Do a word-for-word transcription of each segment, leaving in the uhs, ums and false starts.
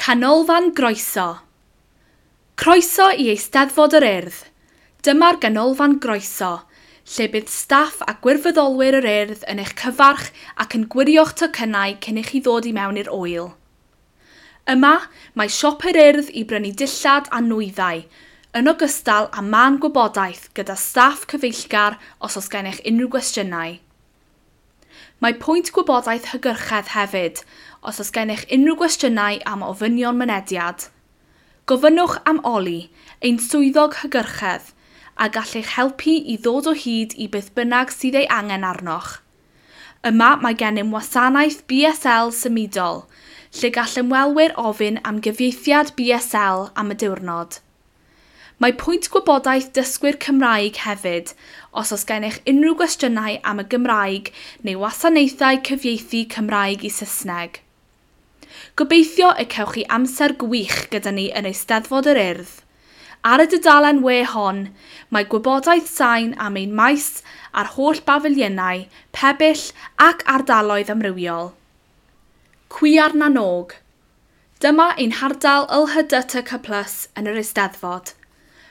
Canolfan Groeso. Croeso i Eisteddfod yr Urdd. Dyma'r Ganolfan Groeso, lle bydd staff a gwirfoddolwyr yr Urdd yn eich cyfarch ac yn gwirio'ch tocynnau cyn i chi ddod i mewn i'r ŵyl. Yma, mae siop yr Urdd i brynu dillad a nwyddau, yn ogystal â man gwybodaeth gyda staff cyfeillgar os oes gennych unrhyw gwestiynau. Mae pwynt gwybodaeth hygyrchedd hefyd, os oes gennych unrhyw gwestiynau am ofynion mynediad. Gofynnwch am Oli, ein swyddog hygyrchedd, a gall eich helpu i ddod o hyd i beth bynnag sydd ei angen arnoch. Yma mae gennym wasanaeth B S L symudol, lle gall ymwelwyr ofyn am gyfieithiad B S L am y diwrnod. Mae pwynt gwybodaeth dysgwyr Cymraeg hefyd, os oes gennych unrhyw gwestiynau am y Gymraeg neu wasanaethau cyfieithu Cymraeg i Saesneg. Gobeithio y cewch chi amser gwych gyda ni yn Eisteddfod yr Urdd. Ar y dudalen we hon, mae gwybodaeth sain am ein maes a'r holl bafiliynau, pebyll ac ardaloedd amrywiol. Cwiar na Nog. Dyma ein hardal L H D T C plus yn yr Eisteddfod.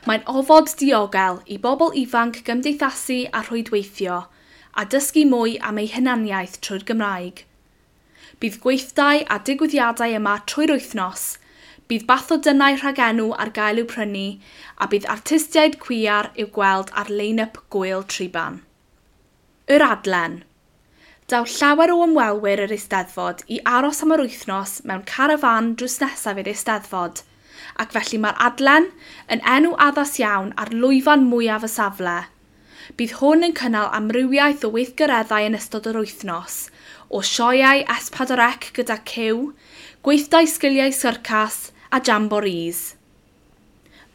Mae'n ofod diogel i bobl ifanc gymdeithasu a rhwydweithio, a dysgu mwy am eu hunaniaeth trwy'r Gymraeg. Bydd gweithdai a digwyddiadau yma trwy'r wythnos, bydd bathodynnau rhagenw ar gael i'w prynu, a bydd artistiaid cwiar i'w gweld ar lein-up Gŵyl Triban. Yr Adlen. Daw llawer o ymwelwyr yr Eisteddfod i aros am yr wythnos mewn carafán drws nesaf i'r Eisteddfod, ac felly mae'r Adlen yn enw addas iawn ar lwyfan mwyaf y safle. Bydd hwn yn cynnal amrywiaeth o weithgareddau yn ystod yr wythnos, o sioeau S pedwar C gyda cyw, gweithdai sgiliau syrcas a jamborees.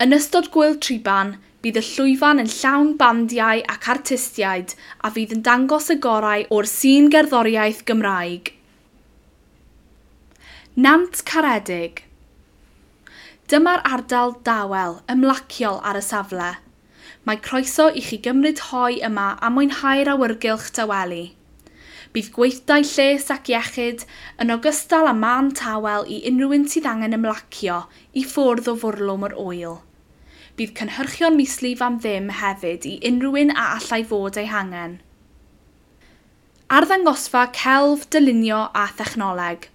Yn ystod Gŵyl Triban, bydd y llwyfan yn llawn bandiau ac artistiaid a fydd yn dangos y gorau o'r sîn gerddoriaeth Gymraeg. Nant Caredig. Dyma'r ardal dawel, ymlaciol ar y safle. Mae croeso i chi gymryd hoe yma a mwynhau'r awyrgylch dawelu. Bydd gweithdai lles ac iechyd yn ogystal â man tawel i unrhyw un sydd angen ymlacio i ffwrdd o fwrlwm yr ŵyl. Bydd cynhyrchion mislif am ddim hefyd i unrhyw un a allai fod eu hangen. Arddangosfa celf, dylunio a thechnoleg.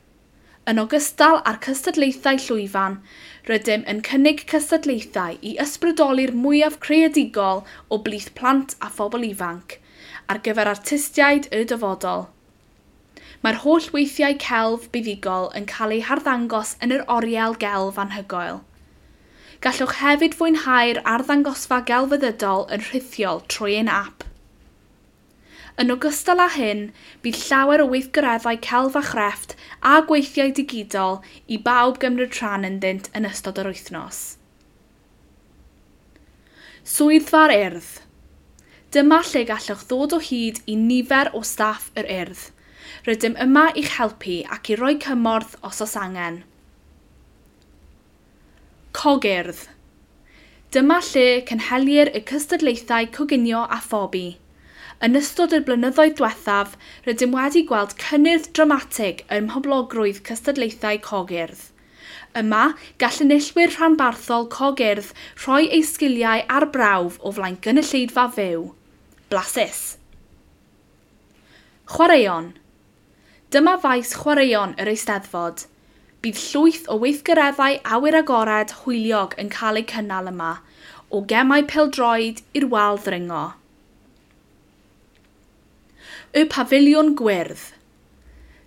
Yn ogystal â'r cystadlaethau llwyfan, rydym yn cynnig cystadlaethau i ysbrydoli'r mwyaf creadigol o blith plant a phobl ifanc, ar gyfer artistiaid y dyfodol. Mae'r holl weithiau celf buddugol yn cael eu harddangos yn yr oriel gelf anhygoel. Gallwch hefyd fwynhau'r arddangosfa gelfyddydol yn rhithiol trwy ein ap. Yn ogystal â hyn, bydd llawer o weithgareddau celf a chrefft a gweithiau digidol i bawb gymryd rhan ynddynt yn ystod yr wythnos. Swyddfa'r Urdd. Dyma lle gallwch ddod o hyd i nifer o staff yr Urdd. Rydym yma i'ch helpu ac i roi cymorth os oes angen. Cogurdd. Dyma lle cynhelir y cystadlaethau coginio a phobi. Yn ystod y blynyddoedd diwethaf, rydym wedi gweld cynnydd dramatig ym mhoblogrwydd cystadlaethau cogurdd. Yma, gall enillwyr rhanbarthol cogurdd rhoi eu sgiliau ar brawf o flaen gynulleidfa fyw. Blasus! Chwaraeon. Dyma faes chwaraeon yr Eisteddfod. Bydd llwyth o weithgareddau awyr agored hwyliog yn cael eu cynnal yma, o gemau pêl-droed i'r wal ddringo. Y Pafiliwn Gwyrdd.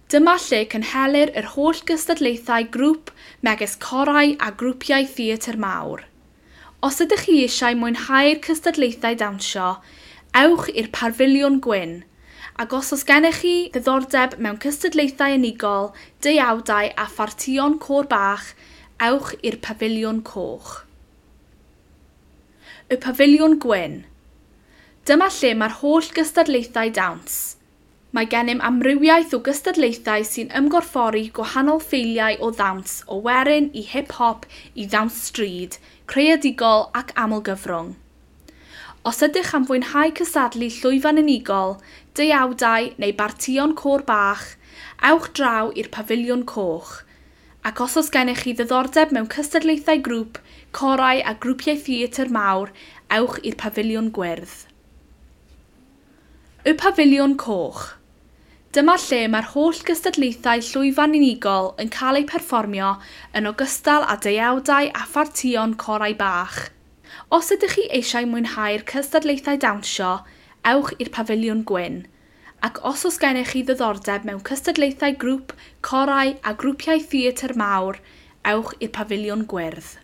Dyma lle cynhelir yr holl gystadlaethau grŵp megis corau a grwpiau theatr mawr. Os ydych chi eisiau mwynhau'r cystadlaethau dawnsio, ewch i'r Pafiliwn Gwyn, ac os oes gennych chi ddiddordeb mewn cystadlaethau unigol, deuawdau a phartïon côr bach, ewch i'r Pafiliwn Coch. Y Pafiliwn Gwyn. Dyma lle mae'r holl gystadlaethau dawns. Mae gennym amrywiaeth o gystadlaethau sy'n ymgorffori gwahanol ffeiliau o ddawns o werin i hip-hop i ddawns stryd, creadigol ac amlgyfrwng. Os ydych am fwynhau cystadlu llwyfan unigol, deuawdau neu bartïon côr bach, ewch draw i'r Pafiliwn Coch, Ac os oes gennych chi ddiddordeb mewn cystadlaethau grŵp, corau a grwpiau theatr mawr, ewch i'r Pafiliwn Gwyrdd. Y Pafiliwn Coch. Dyma lle mae'r holl gystadlaethau llwyfan unigol yn cael eu perfformio yn ogystal â deuawdau a phartïon corau bach. Os ydych chi eisiau mwynhau'r cystadlaethau dawnsio, ewch i'r Pafiliwn Gwyn. Ac os oes gennych chi ddiddordeb mewn cystadlaethau grŵp, corau a grwpiau theatr mawr, ewch i'r Pafiliwn Gwyrdd.